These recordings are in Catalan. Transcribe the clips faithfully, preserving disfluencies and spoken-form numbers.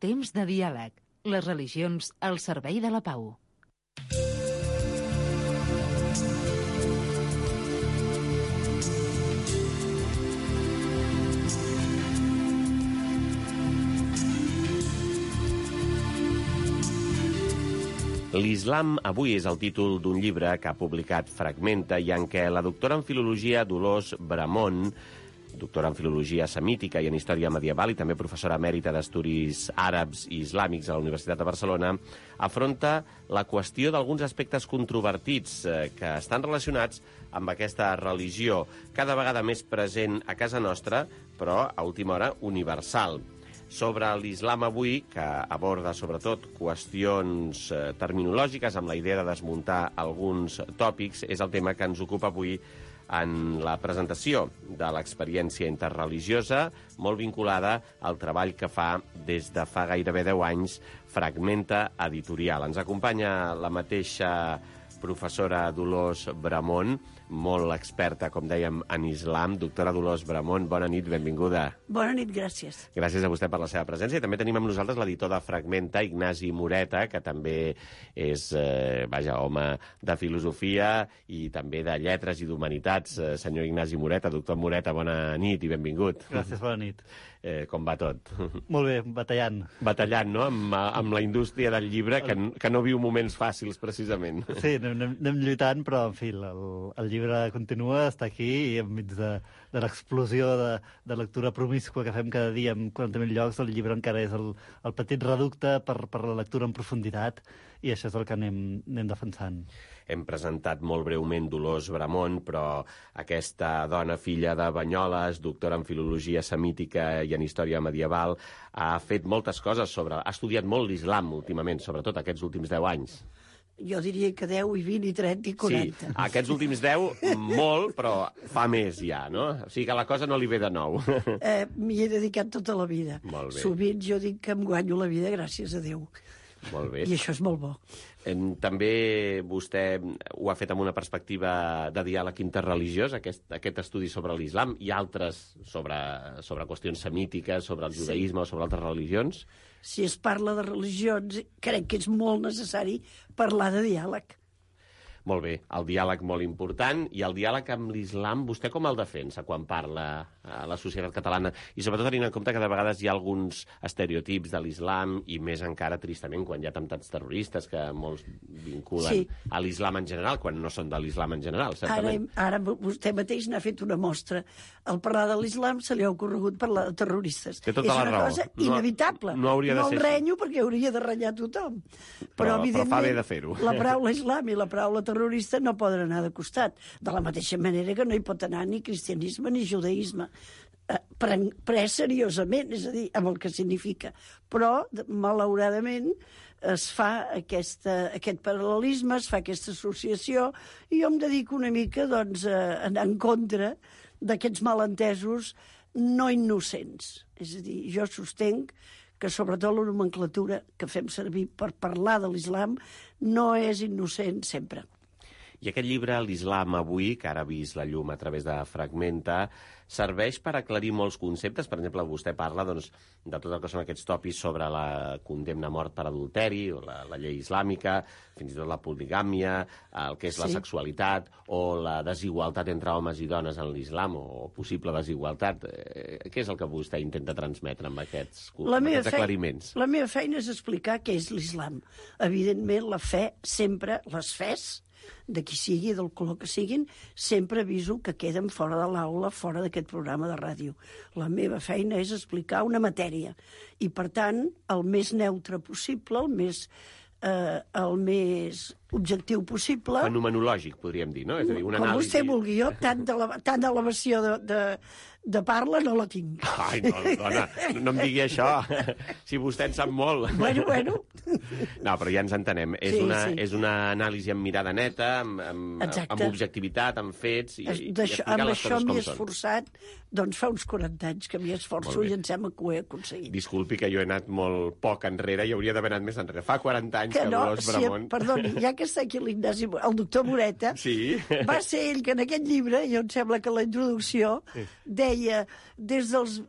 Temps de diàleg. Les religions al servei de la pau. L'Islam avui és el títol d'un llibre que ha publicat Fragmenta i en què la doctora en filologia Dolors Bramon, doctora en filologia semítica i en història medieval i també professora emèrita d'estudis àrabs i islàmics a la Universitat de Barcelona, afronta la qüestió d'alguns aspectes controvertits eh, que estan relacionats amb aquesta religió, cada vegada més present a casa nostra, però a última hora universal. Sobre l'Islam avui, que aborda sobretot qüestions eh, terminològiques amb la idea de desmuntar alguns tòpics, és el tema que ens ocupa avui en la presentació de l'experiència interreligiosa, molt vinculada al treball que fa des de fa gairebé deu anys Fragmenta Editorial. Ens acompanya la mateixa professora Dolors Bramon, molt experta, com dèiem, en islam. Doctora Dolors Bramon, bona nit, benvinguda. Bona nit, gràcies. Gràcies a vostè per la seva presència. I també tenim amb nosaltres l'editor de Fragmenta, Ignasi Moreta, que també és, eh, vaja, home de filosofia i també de lletres i d'humanitats. Eh, senyor Ignasi Moreta, doctor Moreta, bona nit i benvingut. Gràcies, bona nit. Eh, com va tot? Molt bé, batallant. Batallant, no?, amb, amb la indústria del llibre, que, que no viu moments fàcils, precisament. Sí, anem, anem lluitant, però, en fi, el, el llibre continua, està aquí, i enmig de, de l'explosió de, de lectura promíscua que fem cada dia en quaranta mil llocs, el llibre encara és el, el petit reducte per, per la lectura en profunditat, i això és el que anem, anem defensant. Hem presentat molt breument Dolors Bramon, però aquesta dona, filla de Banyoles, doctora en filologia semítica i en història medieval, ha fet moltes coses sobre... Ha estudiat molt l'islam últimament, sobretot aquests últims deu anys. Jo diria que deu, i vint, i trenta, i quaranta. Sí, aquests últims deu, molt, però fa més ja, no? O sigui que la cosa no li ve de nou. Eh, M'hi he dedicat tota la vida. Molt bé. Sovint jo dic que em guanyo la vida gràcies a Déu. Molt bé. I això és molt bo. També vostè ho ha fet amb una perspectiva de diàleg interreligiós, aquest, aquest estudi sobre l'islam, i altres sobre, sobre qüestions semítiques, sobre el judaïsme, sí, o sobre altres religions. Si es parla de religions, crec que és molt necessari parlar de diàleg. Molt bé, el diàleg molt important, i el diàleg amb l'islam, vostè com el defensa quan parla a la societat catalana? I sobretot tenint en compte que de vegades hi ha alguns estereotips de l'islam, i més encara, tristament, quan hi ha atemptats terroristes que molts vinculen, sí, a l'islam en general, quan no són de l'islam en general, certament. Ara, ara vostè mateix n'ha fet una mostra. Al parlar de l'islam se li ha ocorregut parlar de terroristes. Té tota és la una raó. cosa No, inevitable. no hauria de no ser el renyo perquè hauria de renyar tothom. Però, Però, però fa bé de fer-ho. la paraula islam i la paraula terrorista no poden anar de costat, de la mateixa manera que no hi pot anar ni cristianisme ni judaïsme, eh, pres seriosament, és a dir, amb el que significa. Però, malauradament, es fa aquesta, aquest paral·lelisme, es fa aquesta associació, i jo em dedico una mica, doncs, a anar en contra d'aquests malentesos no innocents. És a dir, jo sostenc que sobretot la nomenclatura que fem servir per parlar de l'islam no és innocent sempre. I aquest llibre, l'Islam avui, que ara ha vist la llum a través de Fragmenta, serveix per aclarir molts conceptes. Per exemple, vostè parla, doncs, de tot el que són aquests tòpics sobre la condemna a mort per adulteri, o la, la llei islàmica, fins i tot la poligàmia, el que és sí, la sexualitat, o la desigualtat entre homes i dones en l'islam, o possible desigualtat. Eh, què és el que vostè intenta transmetre amb aquests, amb aquests aclariments? La meva feina és explicar què és l'islam. Evidentment, la fe sempre, les fes, de qui sigui, del color que siguin, sempre aviso que queden fora de l'aula, fora d'aquest programa de ràdio. La meva feina és explicar una matèria i, per tant, el més neutre possible, el més, eh, el més objectiu possible... Fenomenològic, podríem dir, no? És a dir, una com anàlisi... vostè vulgui. Jo, tant d'elevació de, de, de parla no la tinc. Ai, no, dona, no em digui això. Si vostè en sap molt. Bueno, bueno. No, però ja ens entenem. És, sí, una, sí. és una anàlisi amb mirada neta, amb, amb, amb objectivitat, amb fets, i, i explicar les coses com són. Amb això m'hi he esforçat, doncs fa uns quaranta anys que m'hi esforço i em sembla que ho he aconseguit. Disculpi que jo he anat molt poc enrere i hauria d'haver anat més enrere. Fa quaranta anys que, que no, Dolors Bramon... Si, perdoni, ja que està aquí l'Ignasi, el doctor Moreta, sí, va ser ell que en aquest llibre, jo em sembla que la introducció, sí, deia deia des dels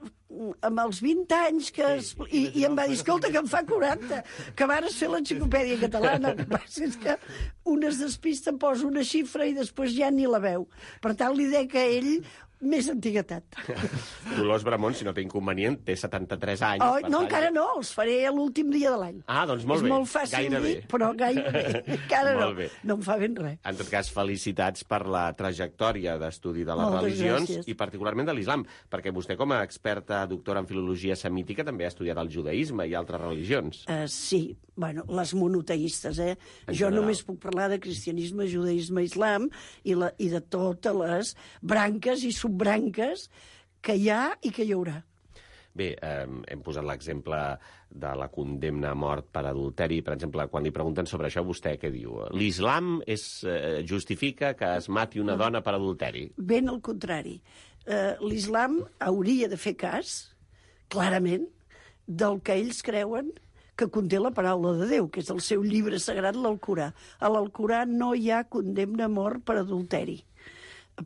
amb els vint anys que... Es, i, i em va dir, escolta, que em fa quaranta, que vares fer l'enciclopèdia catalana. El que passa és que un es despista, posa una xifra i després ja ni la veu. Per tant, li deia que ell més antiguitat. Dolors Bramon, si no té inconvenient, té setanta-tres anys. Oh, no, encara no, els faré l'últim dia de l'any. Ah, doncs molt és bé. És molt fàcil gairebé. dir, però gairebé. Encara no. Bé. No em fa ben res. En tot cas, felicitats per la trajectòria d'estudi de les Moltes religions gràcies. i particularment de l'islam, perquè vostè, com a experta doctora en filologia semítica, també ha estudiat el judaïsme i altres religions. Uh, sí, bueno, les monoteistes, eh? En jo general. només puc parlar de cristianisme, judaïsme, islam i, la, i de totes les branques i subbranques que hi ha i que hi haurà. Bé, eh, hem posat l'exemple de la condemna a mort per adulteri. Per exemple, quan li pregunten sobre això, vostè què diu? L'islam és, eh, justifica que es mati una dona per adulteri? Ben al contrari. Eh, L'islam hauria de fer cas, clarament, del que ells creuen que conté la paraula de Déu, que és el seu llibre sagrat, l'Alcorà. A l'Alcorà no hi ha condemna a mort per adulteri.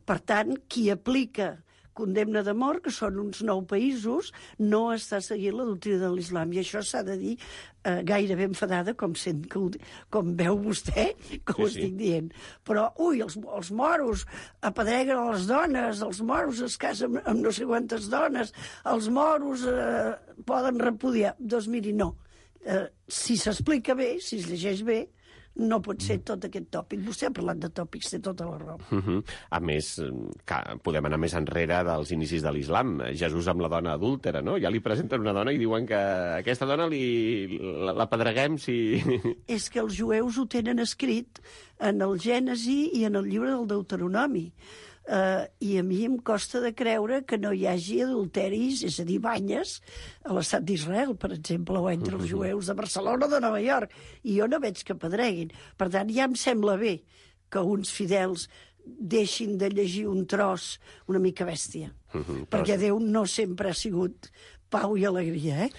Per tant, qui aplica condemna de mort, que són uns nou països, no està seguint la doctrina de l'islam. I això s'ha de dir eh, gairebé enfadada, com, sent, com, com veu vostè, que Sí, ho sí. estic dient. Però, ui, els, els moros apedreguen a les dones, els moros es casen amb no sé quantes dones, els moros eh, poden repudiar. Doncs miri, no. Eh, si s'explica bé, si es llegeix bé, no pot ser tot aquest tòpic. Vostè ha parlat de tòpics, té tota la raó. Uh -huh. A més, que podem anar més enrere dels inicis de l'islam. Jesús amb la dona adúltera, no? Ja li presenten una dona i diuen que aquesta dona li, la, la pedreguem si... És que els jueus ho tenen escrit en el Gènesi i en el llibre del Deuteronomi. Uh, I a mi em costa de creure que no hi hagi adulteris, és a dir, banyes, a l'estat d'Israel, per exemple, o entre els jueus de Barcelona o de Nova York. I jo no veig que pedreguin. Per tant, ja em sembla bé que uns fidels deixin de llegir un tros una mica bèstia. Uh -huh, perquè però... Déu no sempre ha sigut pau i alegria, eh?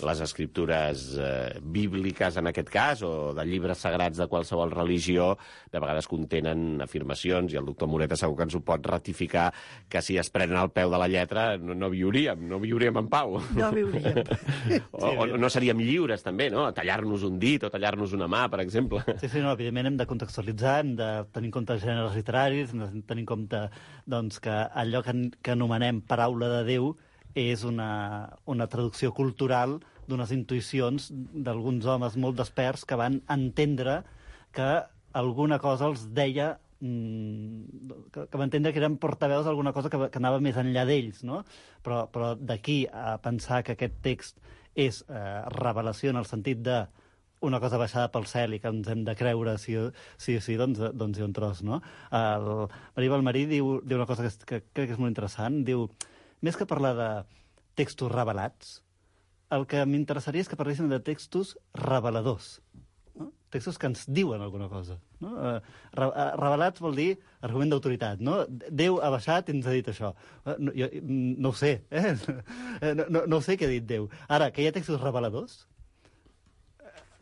Les escriptures eh, bíbliques, en aquest cas, o de llibres sagrats de qualsevol religió, de vegades contenen afirmacions, i el doctor Moreta segur que ens ho pot ratificar, que si es prenen al peu de la lletra no, no viuríem, no viuríem en pau. No viuríem. o, o no seríem lliures, també, no? Tallar-nos un dit o tallar-nos una mà, per exemple. Sí, sí, no, evidentment hem de contextualitzar, hem de tenir en compte els gèneres literaris, hem de tenir en compte doncs, que allò que, que anomenem paraula de Déu és una, una traducció cultural d'unes intuïcions d'alguns homes molt desperts que van entendre que alguna cosa els deia, mmm, que, que van entendre que eren portaveus d'alguna cosa que, que anava més enllà d'ells, no? Però, però d'aquí a pensar que aquest text és eh, revelació en el sentit de una cosa baixada pel cel i que ens hem de creure sí o sí, sí doncs, doncs hi ha un tros, no? El Maria Balmarí diu, diu una cosa que, que crec que és molt interessant, diu, més que parlar de textos revelats, el que m'interessaria és que parléssim de textos reveladors, no? Textos que ens diuen alguna cosa, no? Eh, re, eh, revelats vol dir argument d'autoritat, no? Déu ha baixat i ens ha dit això. Eh, no, jo, no ho sé, eh? No, no, no ho sé què ha dit Déu. Ara, que hi ha textos reveladors,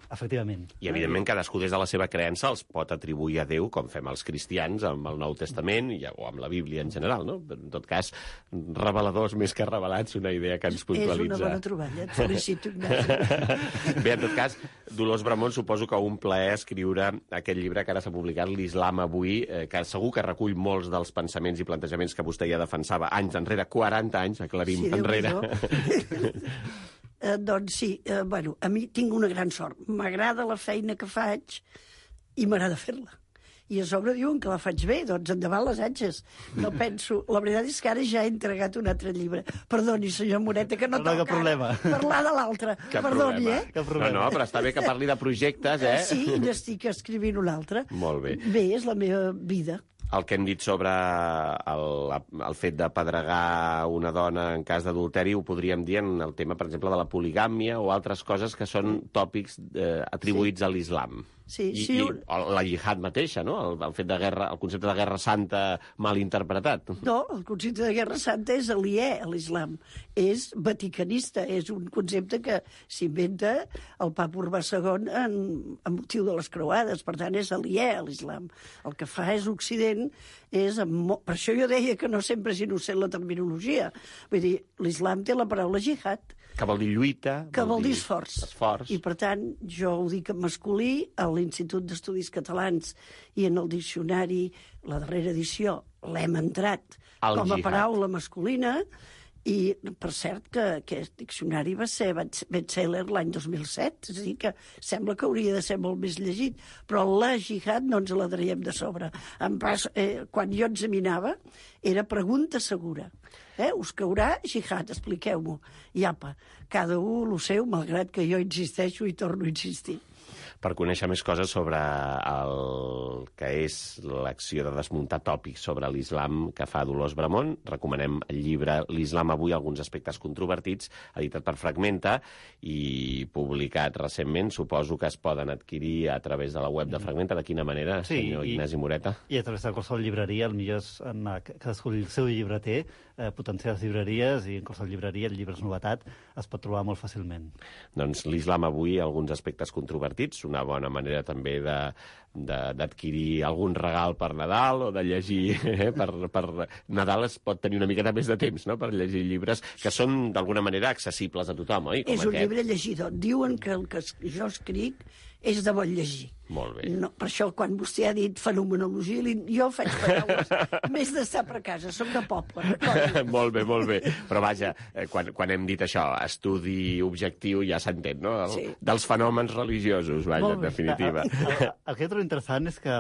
efectivament. I, evidentment, cadascú des de la seva creença els pot atribuir a Déu, com fem els cristians amb el Nou Testament i, o amb la Bíblia en general, no? En tot cas, reveladors més que revelats, una idea que ens puntualitza. És una bona troballa, et felicito, Ignasi. Bé, en tot cas, Dolors Bramon, suposo que un plaer escriure aquest llibre que ara s'ha publicat, l'Islam avui, eh, que segur que recull molts dels pensaments i plantejaments que vostè ja defensava anys enrere, quaranta anys, aclarim, Sí, enrere. Eh, doncs sí, eh, bueno, a mi tinc una gran sort. M'agrada la feina que faig i m'agrada fer-la. I a sobre diuen que la faig bé, doncs endavant les atxes. No penso... La veritat és que ara ja he entregat un altre llibre. Perdoni, senyor Moreta, que no, No, toca cap problema. parlar de l'altre. Cap Perdoni, problema. eh? Cap problema. No, no, però està bé que parli de projectes, eh? Eh, Sí, i n'estic escrivint un altre. Molt bé. Bé, és la meva vida. El que hem dit sobre el, el fet de pedregar una dona en cas d'adulteri ho podríem dir en el tema, per exemple, de la poligàmia o altres coses que són tòpics eh, atribuïts sí. a l'islam. Sí, I, sí, i un... la jihad mateixa, no? El, el, fet de guerra, el concepte de guerra santa mal interpretat. No, el concepte de guerra santa és aliè a l'islam. És vaticanista, és un concepte que s'inventa el papa Urbà segon en, en motiu de les creuades, per tant és aliè a l'islam. El que fa és Occident innocent és... Mo... Per això jo deia que no sempre és innocent la terminologia. Vull dir, l'islam té la paraula jihad, que vol dir lluita. que vol dir esforç. esforç. I, per tant, jo ho dic en masculí, a l'Institut d'Estudis Catalans i en el diccionari, la darrera edició, l'hem entrat El com a jihad. paraula masculina, i, per cert, que aquest diccionari va ser bestseller l'any dos mil set, és a dir, que sembla que hauria de ser molt més llegit, però la jihad no ens la traiem de sobre. En pas, eh, quan jo examinava, era pregunta segura. Eh? Us caurà jihad, expliqueu-m'ho. I apa, cada un lo seu, malgrat que jo insisteixo i torno a insistir. Per conèixer més coses sobre el que és l'acció de desmuntar tòpics sobre l'islam que fa Dolors Bramon, recomanem el llibre L'Islam avui, alguns aspectes controvertits, editat per Fragmenta i publicat recentment. Suposo que es poden adquirir a través de la web de Fragmenta. De quina manera, Sí, senyor i- Ignasi Moreta? I a través de qualsevol llibreria, el millor és anar, cadascú el seu llibreter, eh, potenciar les llibreries, i en qualsevol llibreria el llibre és novetat, es pot trobar molt fàcilment. Doncs l'islam avui, alguns aspectes controvertits, una bona manera també de de- d'adquirir algun regal per Nadal o de llegir eh, per, per Nadal es pot tenir una miqueta més de temps, no?, per llegir llibres que són d'alguna manera accessibles a tothom, oi? Com És un aquest. llibre llegidor. Diuen que el que es- jo escric és de bon llegir. Molt bé. No, per això, quan vostè ha dit fenomenologia, li- jo faig paraules més d'estar per casa. Soc de poble, recordi. Molt bé, molt bé. Però vaja, eh, quan, quan hem dit això, estudi objectiu, ja s'entén, no? El, Sí. Dels fenòmens religiosos, vaja, Molt en bé. definitiva. El, el que jo trobo interessant és que,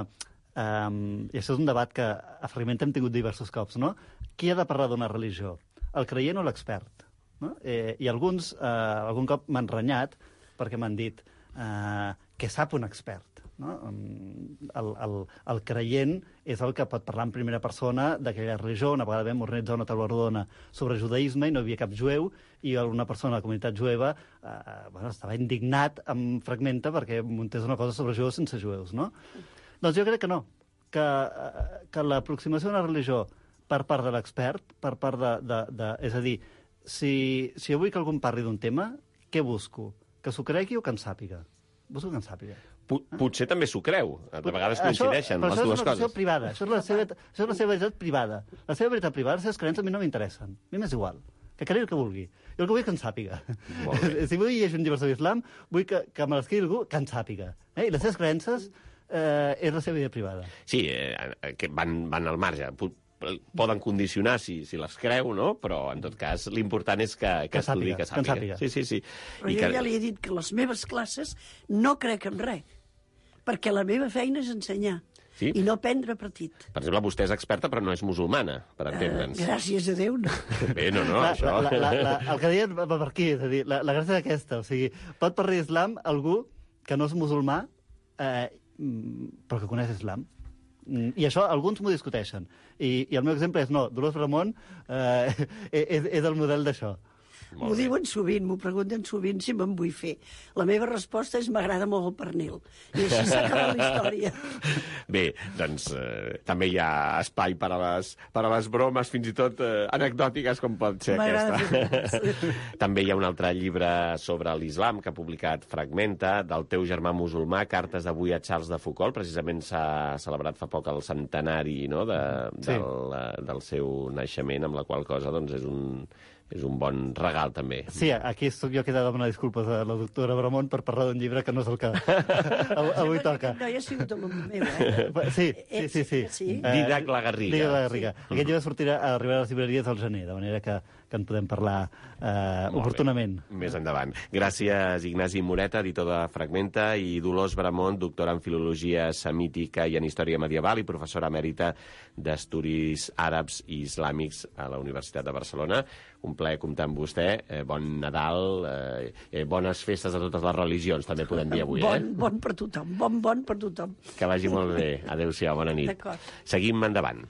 um, i això és un debat que a Fragment hem tingut diversos cops, no? Qui ha de parlar d'una religió? El creient o l'expert? No? Eh, I alguns, eh, algun cop m'han renyat perquè m'han dit eh, que sap un expert. No? Mm, El, el, el creient és el que pot parlar en primera persona d'aquella religió. Una vegada vam organitzar una taula rodona sobre judaïsme i no hi havia cap jueu, i una persona de la comunitat jueva eh, bueno, estava indignat amb Fragmenta perquè muntés una cosa sobre jueus sense jueus. No? Doncs jo crec que no, que, eh, que l'aproximació a una religió per part de l'expert, per part de, de, de... És a dir, si, si jo vull que algú em parli d'un tema, què busco? Que s'ho cregui o que en sàpiga? Busco que en sàpiga. Pot, potser també s'ho creu. De vegades coincideixen però les això dues és una qüestió coses. privada. Això és, la seva, això és la seva veritat privada. La seva veritat privada, les seves creences a mi no m'interessen. A mi m'és igual. Que cregui el que vulgui. Jo el que vull és que en sàpiga. Molt bé. Si vull llegir un llibre sobre islam, vull que, que me l'escrigui algú que en sàpiga. Eh? I les seves creences eh, és la seva vida privada. Sí, eh, que van, van al marge. Pot- Poden condicionar si, si les creu, no? Però, en tot cas, l'important és que, que, Que estudi, sàpiga, que que en sàpiga. sàpiga. Sí, sí, sí. Però I jo que... ja li he dit que les meves classes no crec en res, perquè la meva feina és ensenyar Sí? i no prendre partit. Per exemple, vostè és experta, però no és musulmana, per entendre'ns. Eh, gràcies a Déu, no. Bé, no, no, la, això... la, la, la, el que deia va per aquí, és a dir, la, la gràcia d'aquesta, o sigui, pot parlar d'islam algú que no és musulmà, eh, mm, però que coneix islam. Mm, I això alguns m'ho discuteixen. I, I el meu exemple és, no, Dolors Bramon eh, és, és el model d'això. Molt M'ho bé. diuen sovint, m'ho pregunten sovint si me'n vull fer. La meva resposta és m'agrada molt el pernil. I així s'acaba la història. Bé, doncs eh, també hi ha espai per a les, per a les bromes, fins i tot eh, anecdòtiques, com pot ser M'agrada aquesta. fer També hi ha un altre llibre sobre l'islam que ha publicat Fragmenta, del teu germà musulmà, Cartes d'avui a Charles de Foucault. Precisament s'ha celebrat fa poc el centenari, no?, de, Sí. del, eh, del seu naixement, amb la qual cosa doncs, és un, és un bon regal, també. Sí, aquí sóc jo que he de demanar disculpes a la doctora Bramon per parlar d'un llibre que no és el que avui, avui toca. No, ja ha sigut alumne meu, eh? Sí, sí, sí. sí. Sí? Didac la Garriga. Didac la Garriga. Sí. Aquest llibre sortirà, arribarà a les llibreries al gener, de manera que, que en podem parlar eh, Molt oportunament. bé. Més endavant. Gràcies, Ignasi Moreta, editor de Fragmenta, i Dolors Bramon, doctora en Filologia Semítica i en Història Medieval i professora emèrita d'Estudis Àrabs i Islàmics a la Universitat de Barcelona. Un plaer comptar amb vostè. Eh, bon Nadal, eh, eh, bones festes a totes les religions, també podem dir avui. Bon, Eh? bon per tothom, bon, bon per tothom. Que vagi molt bé. Adéu-siau, bona nit. D'acord. Seguim endavant.